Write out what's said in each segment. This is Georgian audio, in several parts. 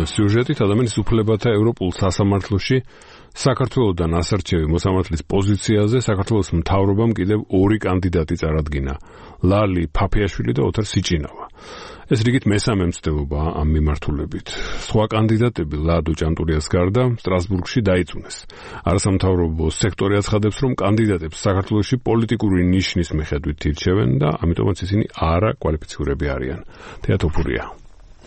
სიუჟეტით ადამიანის უფლებათა ევროპულ სასამართლოში საქართველოსთან ასარჩევი მოსამართლის პოზიციაზე საქართველოს მთავრობამ კიდევ ორი კანდიდატი წარადგინა: ლალი ფაფიაშვილი და ოთარ სიჭინავა. ეს რიგით მესამე მცდელობაა ამ მიმართულებით. სხვა კანდიდატები ლადო ჭანტურიას გარდა სტრასბურგში დაიწუნეს. არასამთავრობო სექტორი აცხადებს, რომ კანდიდატებს საქართველოში პოლიტიკური ნიშნის მიხედვით ირჩევენ და ამიტომაც ისინი არაკვალიფიცირებული არიან. თეატოფურია.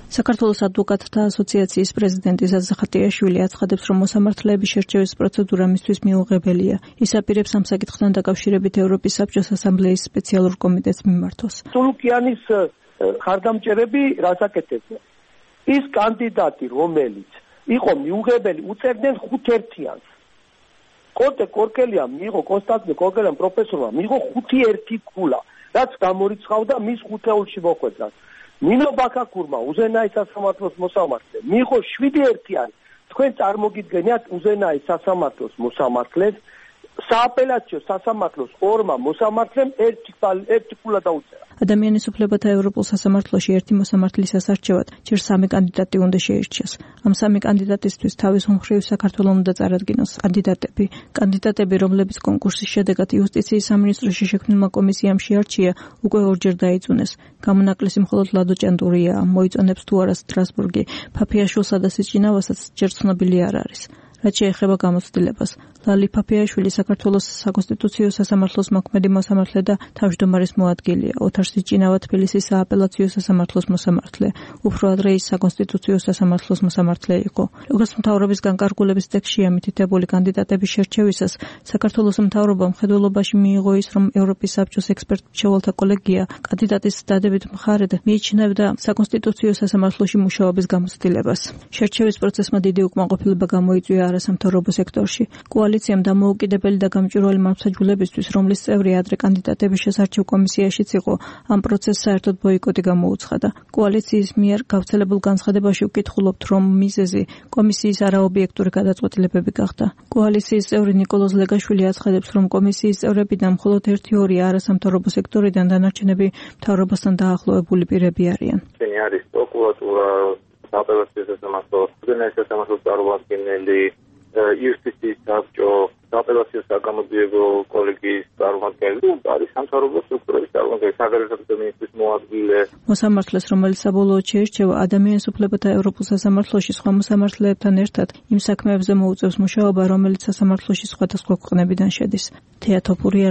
საქართველოს ადვოკატთა ასოციაციის პრეზიდენტი ზაზა ხატიაშვილი აცხადებს, რომ მოსამართლეების შერჩევის პროცედურა მისთვის მიუღებელია. ის აპირებს ამ საკითხთან დაკავშირებით ევროპის საბჭოს ასამბლეის სპეციალურ კომიტეტს მიმართოს. სულუკიანის ხარდამჭერები რას აკეთებდნენ? ის კანდიდატი, რომელიც იყო მიუღებელი, უწერდნენ 5-1-იანს. კონსტანტინე კორკელიამ პროფესორმა მიიღო 5-1 ქულა, რაც გამორიცხავდა მის 5-ეულში მოხვედრას. ნინო ბაქაკურმა უზენაის სასამართლოს მოსამართლე მიიღო 7-1-იანი. თქვენ წარმოგიდგენიათ უზენაის სასამართლოს მოსამართლეს სააპელაციო სასამართლოს ორმა მოსამართლემ ერთი ქულა დაუწერა. ადამიანის უფლებათა ევროპულ სასამართლოში ერთი მოსამართლის ასარჩევად ჯერ 3 კანდიდატი უნდა შეირჩიოს. ამ 3 კანდიდატისთვის თავის მხრივ საქართველოს უნდა წარადგინოს კანდიდატები, რომლებიც კონკურსის შედეგად იუსტიციის სამინისტროში შექმნილმა კომისიამ შეარჩია, უკვე ორჯერ დაიწუნეს. გამონაკლისი მხოლოდ ლადო ჭანტურიაა, მოიწონებს თუ არა სტრასბურგი, ფაფიაშვილსა და სიჭინავასაც ჯერ ცნობილი არ არის. რაც შეეხება გამოცდილებას, ლალი ფაფიაშვილი საქართველოს საკონსტიტუციო სასამართლოს მოქმედი მოსამართლე და თავმჯდომარის მოადგილეა. ოთარ სიჭინავა თბილისის სააპელაციო სასამართლოს მოსამართლე, უფრო ადრე ის საკონსტიტუციო სასამართლოს მოსამართლე იყო. როგორც მთავრობის განკარგულების ტექსტშია მითითებული კანდიდატების შერჩევისას, საქართველოს მთავრობამ მხედველობაში მიიღო ის, რომ ევროპის საბჭოს ექსპერტ-მრჩეველთა კოლეგია კანდიდატის დადებით მხარედ მიიჩნევდა საკონსტიტუციო სასამართლოში მუშაობის გამოცდილებას. შერჩევის პროცესმა დიდი უკმაყოფილება გამოიწვია არასამთავრობო სექტორში. კოალიციამ დამოუკიდებელი და გამჭვირვალე მართლმსაჯულებისთვის, რომლის წევრი ადრე კანდიდატების შესარჩევ კომისიაშიც იყო, ამ პროცესს საერთოდ ბოიკოტი გამოუცხადა. კოალიციის მიერ გავრცელებულ განცხადებაში ვკითხულობთ, რომ მიზეზი კომისიის არაობიექტური გადაწყვეტილებები გახდა. კოალიციის წევრი ნიკოლოზ ლეგაშვილი აცხადებს, რომ კომისიის წევრებიდან მხოლოდ 1-2 არასამთავრობო სექტორიდან, დანარჩენები მთავრობასთან დაახლოებული პირები არიან. არის პროკურატურა, სააპელაციო სასამართლო, სასამართლოს წარმომადგენელი, იუსტიციის საბჭო, სააპელაციო საგამოძიებო კოლეგიის წარმომადგენელი, არის სამთავრობო სტრუქტურების წარმომადგენელი, საგარეო მინისტრის მოადგილე. მოსამართლეს, რომელიც საბოლოოდ შეირჩევა ადამიანის უფლებათა ევროპულ სასამართლოში სხვა მოსამართლეებთან ერთად, იმ საქმეებზე მოუწევს მუშაობა, რომელიც სასამართლოში სხვადასხვა ქვეყნებიდან შედის. თეატოფურია